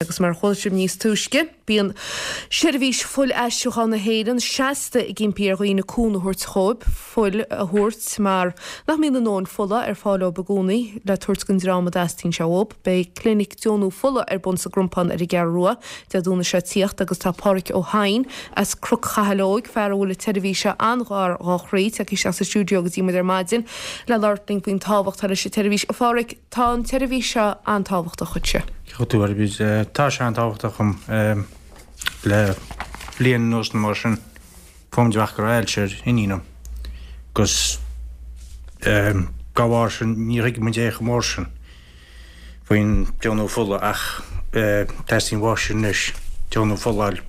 Agus mar a chuala sibh níos túisce, bíonn Seirbhís Fuil-aistriúcháin na hÉireann seasta ag impí ar dhaoine cúnamh a thabhairt dhóibh, fuil a thabhairt mar nach mbíonn a ndóthain fola ar fáil dóibh i gcónaí le tabhairt don dream a dteastaíonn sé uathub. Beidh clinic deonú fola ar bun sa gCrompán ar an gCeathrú Rua Dé Domhnaigh seo ag tíocht agus tá Pádhraic Ó hEidhin as Cnoc Chathail Óig, fear a bhfuil an tseirbhís seo an-ghar dhá chroí, tagtha isteach sa stiúideo go dtí muid ar maidin le labhairt linn faoin tábhacht atá leis an tseirbhís. A Phádhraic, Tá an tseirbhís seo an-tábhachtach dhuitse. Ceart go leor, tá sé an-tábhachtach dhom. Le bliain anuas nó mar sin, fuair muid amach go raibh ailse ar iníon liom. Agus dá bharr sin, níor thuig muid é chomh mór sin faoin deonú fola ach teastaíonn uaimse anois deonú fola a fháil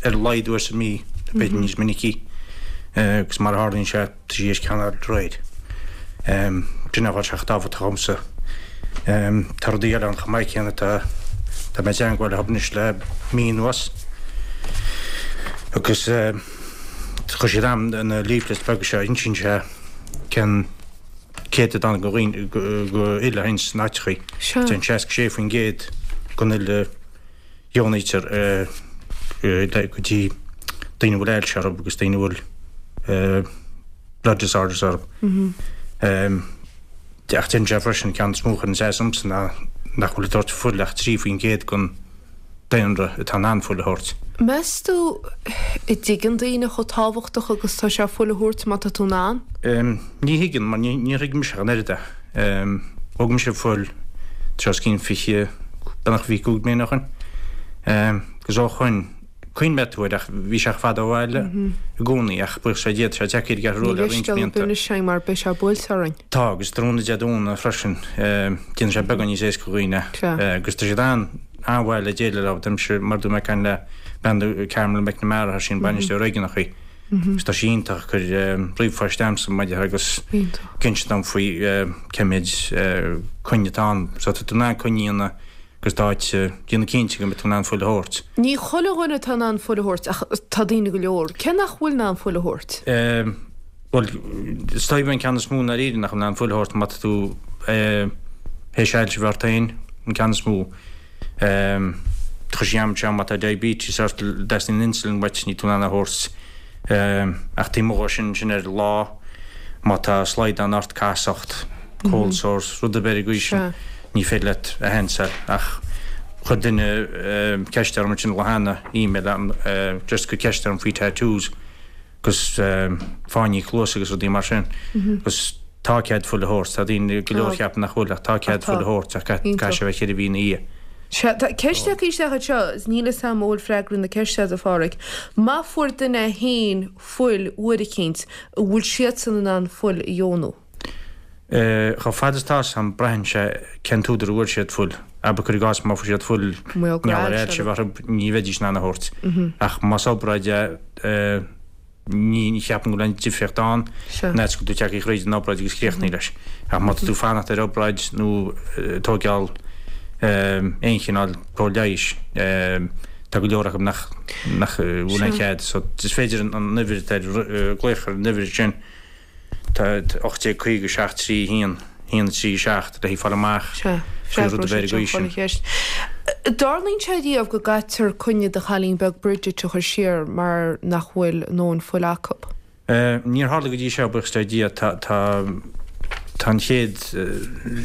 ar a laghad uair sa mhí, b'fhéidir níos minicí. Agus mar a tharlaíonn sé, Tá sí théis ceann a fháil aréir. Sin an fáth a bhfuil sé chomh tábhachtach dhomsa. Tá rudaí eile ann chomh maith céanna. Tá tá mé i dteangmháil leo anois le mí anuas agus chuir siad a'm na leaflets beaga seo a insíonn sé cén céatadán de dhaoine den fhuil a théann sna háiteachaí. Téann 66% den fhuil a dheonaítear go dtí daoine a bhfuil ailse orthu agus daoine a bhfuil blood disorders orthu. Ach deireann sé freisin, ceann is mó a chuireann as domsa ná nach bhfuil ag tabhairt fuil ach 3% den daonra atá in ann fuil a thabhairt. Meas tú an dtuigeann daoine chomh tábhachtach agus atá sé fuil a thabhairt má tá tú in ann? Ní thuigeann, mar níor thuig mise ach an oiread é. Thóg mise fuil tá os cionn 20, beagnach 25 bliain ó shoin. Agus ó shoin, cuimhneoidh tú air ach bhí sé fada ó bhaile i gcónaí ach buíochas le Dia tá sé tagtha ar an gCeathrú Rua le roinnt blianta. Ní leithscéal ar bith anois mar beidh sé buailte orainn. Tá, agus tráthnóna Dé Domhnaigh freisin, déanann sé beagán níos éasca do dhaoine. Agus tá siad an-mhaith le déileáil leo, tá mise mar dúirt mé ag caint le bean Carmel McNamara, tá sí an bainisteoir réigiúnach í. Agus tá sí iontach ag cur ríomhphoist a'msa maidir agus ag insint dom faoi cé mhéid coinne atá ann. So tá tú in ann coinne a dhéanamh agus d'áit déanamh cinnte go mbeidh tú in ann fuil a thabhairt. Ní chuile dhuine atá in ann fuil a thabhairt ach tá daoine go leor. Cé nach bhfuil in ann fuil a thabhairt? Bhuel, is dóigh an ceann is mó i ndáiríre nach bhfuil in ann fuil a thabhairt má tá tú théis ailse a bheith ort féin, an ceann is mó. Chuir sí a'm anseo má tá diabetes ort, dteastaíonn insulin uait, níl tú in ann a thabhairt. Ach taobh amuigh dhó sin, sin ar lá, má tá slaghdán ort, casacht, cold sores, rud ar bith ar an gcaoi sin, ní féidir leat a shansáil. Ach chuir duine ceist orm ansin lá cheana, email a'm, just ag cur ceist orm faoi tattoos. agus fáinní cluasa agus rudaí mar sin. Agus tá cead fuil a thabhairt. Tá daoine go leor a cheapann nach bhfuil ach tá cead fuil a thabhairt ach caithfidh sé a bheith ceithre mhí ina dhiaidh. Sea, tá ceist tagtha isteach anseo is níl fhios a'm an bhfuil freagra na ceiste agat a Pháraic. Má fuair duine féin fuil uair eicínt, an bhfuil siadsan in ann fuil a dheonú? Chomh fada is atá fhios a'm, braitheann sé cén t-údar a bhfuair siad fuil. Abair cuir i gcás má fuair siad fuil mar gheall ar ailse a bheith orthu, ní bheidís in ann a thabhairt. Ach más obráid é, ní cheapaim go bhfuil aon difríocht ann, an fhad is go bhfuil tú tagtha thríd an obráid agus críochnaithe leis. Ach má tá tú ag fanacht ar obráid nó ag tóigeáil aon chineál cóir leighis, tá go leor acu nach bhfuil aon chead. So is féidir an uimhir atá ar, glaoch ar an uimhir sin. Tá 1850 3 1 1 3 7 le fáil amach faoi rud ar bith ar an gcaoi sin. An dtarlaíonn sé riamh go gcaitear coinne do chailín beag Bridget a chur siar mar nach bhfuil a ndóthain fuil acu? Níor tharla go dtí seo, buíochas le Dia. Tá tá an chéad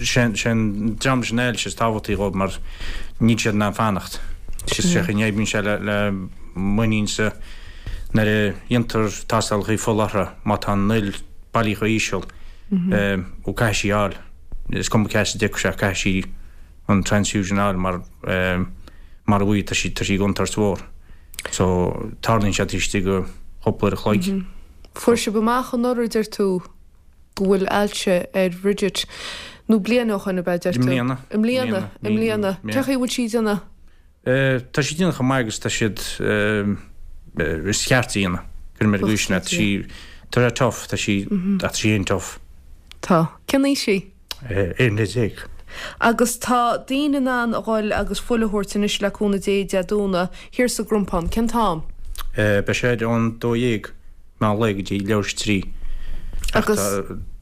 sé an dream leis an ailse is tábhachtaí dhóibh mar níl siad in ann fanacht. Is sé chaoi a n-oibríonn sé le m'iníonsa. Nuair a dhéantar tástálacha fola orthu, má tá an fhuil bailí chomh híseal, ó caithfidh sí a fháil, is cuma cá as a dtiocfaidh sé, caithfidh sí an transfusion a fháil mar mara bhfaighidh tá sí, tá sí i gcontúirt mhór. So, tarlaíonn sé taobh istigh de chúpla uair a chloig. Fuair sibh amach anuraidh, deir tú, go bhfuil ailse ar Bhridget, nó bliain ó shoin ab ea, deir tú? I mbliana. I mbliana, i mbliana. Cén chaoi a bhfuil sí ag déanamh? Tá siad ag déanamh chomh maith agus tá siad is ceart a dhéanamh. Cuirim ar an gcaoi sin é. Tá sí tá sé tough, tá sí ach tá sí an-tough. Tá. Cén aois í? 11 bliain. Agus tá daoine in ann a dhul agus fuil a thabhairt anois le cúnamh Dé Dé Domhnaigh thiar sa gCrompán. Cén t-am? Beidh sé ar ón 12 meán lae go dtí leathuair tar éis 3. Ach Agus.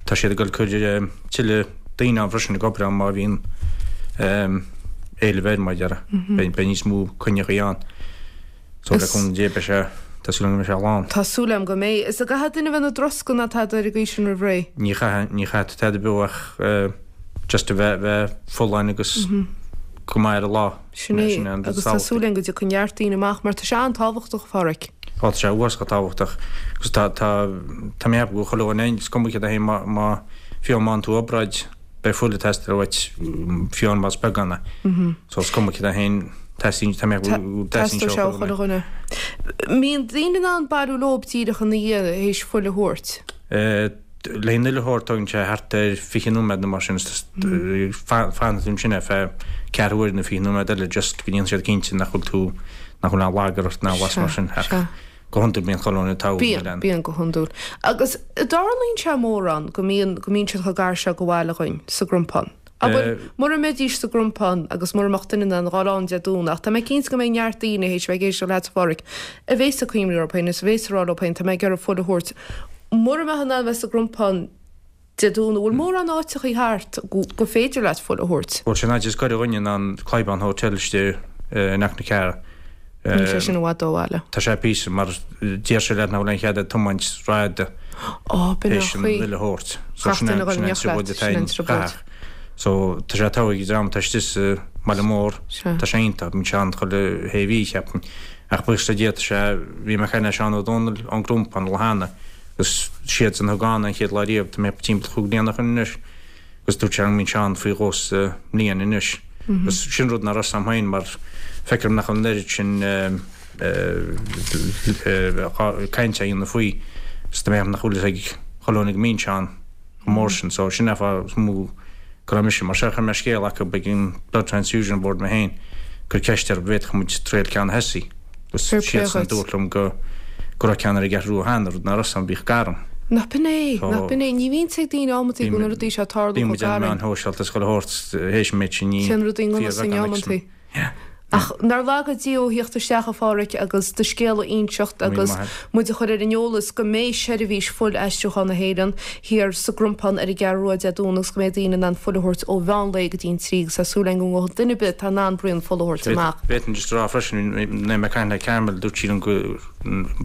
tá siad ag dul cur tuilleadh daoine ann freisin ag obair ann má bhíonn. éileamh air mar a déarfá. Beidh níos mó coinneachaí ann. So le cúnamh Dé beidh sé, tá súil agam go mbeidh sé lán. Tá súil agam go mbeidh. Is an gcaithfidh duine a bheith ina dtroscadh ná tada ar an gcaoi sin roimh ré? Ní chaithfidh, ní chaithfidh tú tada ar bith ach just a bheith, bheith folláin agus go maith ar an lá. Sin é, agus tá súil agam go dtiocfaidh neart daoine amach mar tá sé an-tábhachtach, a Pháraic. Ó tá sé uafásach tábhachtach agus tá, tá, tá mé ag ceapadh go chuile dhuine, is cuma céard é féin má, má, fiú má fhaigheann tú obráid, beidh fuil ag teastáil uait fiú más beagán é. So is cuma céard é féin, teastaíonn, tá mé ag ceapadh go dteastaíonn sé ó chuile dhuine. Mbíonn daoine in ann bailiú leob díreach ina dhiaidh théis fuil a thabhairt? Le an fhuil a thabhairt tógann sé thart ar 20 nóiméad nó mar sin, fanann tú ansin ar feadh ceathrú uaire nó 20 nóiméad eile just go ndéanann siad cinnte nach bhfuil tú, nach bhfuil aon lagar ort ná aon mar sin. Ach go hiondúil bíonn chuile dhuine togha. Bíonn, bíonn go hiondúil. Agus an dtarlaíonn sé mórán go mbíonn, go mbíonn siad chomh gar seo go bhaile dhuinn, sa gCrompán. Abair, mura mbeidís sa gCrompán agus mura mbeadh duine in ann a dhul ann Dé Domhnaigh, ach tá mé cinnte go mbeidh neart daoine théis a bheith ag éisteacht leat, a Pháraic, a bhéas ag cuimhniú orthu féin is a bhéas ag rá leo féin, tá mé ag iarraidh fuil a thabhairt. Mura mbeadh in ann a bheith sa gCrompán Dé Domhnaigh, bhfuil mórán áiteachaí thart go féidir leat fuil a thabhairt? Bhuel, sin áit is gaire dhuinn ná an Clybourne Hotel istigh in aice na Ceathrún. Níl sé sin i bhfad ó bhaile. Tá sé píosa, mar deir sé leat nach bhfuil aon chead agat tiomáint rófhada théis an fhuil a thabhairt. So sin an trioblóid atá ann. So tá sé togha ag an dream atá istigh sa mbaile mór, tá sé iontach, bíonn sé ann chuile shé mhí, cheapfainn. Ach buíochas le Dia tá sé, bhí mé ag caint le Seán Ó Dónaill ón gCrompán an lá cheana agus siadsan a thug ann an chéad lá riamh, tá mé timpeall chúig bliana ó shin anois. Agus dúirt sé go mbíonn sé ann faoi dhó sa mbliain anois. Agus sin rud nach raibh 'fhios a'm féin mar feictear dom nach bhfuil an oiread sin cainte á dhéanamh faoi. Is tá mé ag ceapadh nach bhfuil fhios ag chuile dhuine go mbíonn sé ann chomh mór sin. So sin é an fáth is mó go raibh mise mar seo. Chuir mé scéal acu ag an Blood Transfusion Board mé féin, cur ceist orthu an bhféadfadh muid triail ceann a thosaí. Agus Fair play siadsan a dhuit. dúirt liom go go raibh ceann ar an gCeathrú Rua cheana, rud nach raibh 'fhios a'm, bhíodh gar dom. Nach b'in é, So, nach b'in é. Ní bhíonn 'fhios ag daoine amantaí go bhfuil na rudaí seo ag tarlú Bíonn chomh muid ar na gar meáin shóisialta is chuile shórt théis an méid sin, ní Téann rudaí i ngan fhios dúinn fíorbheagán amantaí. aicsean. Yeah. Ach nár laga Dia thú a thíocht isteach, a Pháraic, agus do scéal a inseacht agus muid a chur ar an eolas go mbeidh seirbhís fuil-aistriúcháin na hÉireann thiar sa gCrompán ar an gCeathrú Rua Dé Domhnaigh agus go mbeidh daoine in ann fuil a thabhairt ó mheán lae go dtí an 3 agus tá súil againn go ngabhfaidh duine ar bith atá in ann braon fola a thabhairt amach. Bhféadfainn just a rá freisin, nuair a bhí mé ag caint le Carmel, dúirt sí liom go,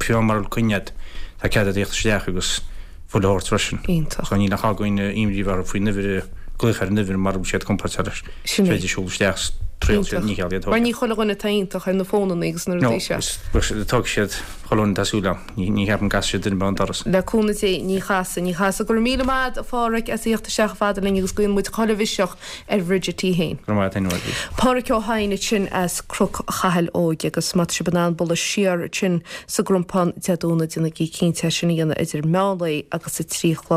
fiú mura bhfuil coinne agat, tá cead agat a thíocht isteach agus fuil a thabhairt freisin. Iontach. So níl ach ag daoine imní a bheith orthu faoin uimhir, glaoch ar an uimhir mura bhfuil siad compordach leis. Sin é. Is féidir siúl isteach is triail siad, Iontach. ní cheal iad Mar thógáil. ní chuile dhuine atá iontach ar na fónannaí agus na No, rudaí seo. is, tógfaidh siad chuile dhuine tá súil agam. Ní, ní cheapaim go gcasfaidh siad duine ar bith ón doras. Le cúnamh Dé, ní chasfaidh, ní chasfaidh. Go raibh míle maith agat, a Pháraic, as a thíocht isteach chomh fada linn agus guíonn muid chuile mhiseach ar Bhridget í féin. Go raibh maith agat féin, a Bhridie. Páraic Ó hEidhin ansin as Cnoc Chathail Óig agus má tá sibh in ann bualadh siar ansin sa gCrompán Dé Domhnaigh déanaigí cinnte é sin a dhéanamh idir meán lae agus a 3 a chlog.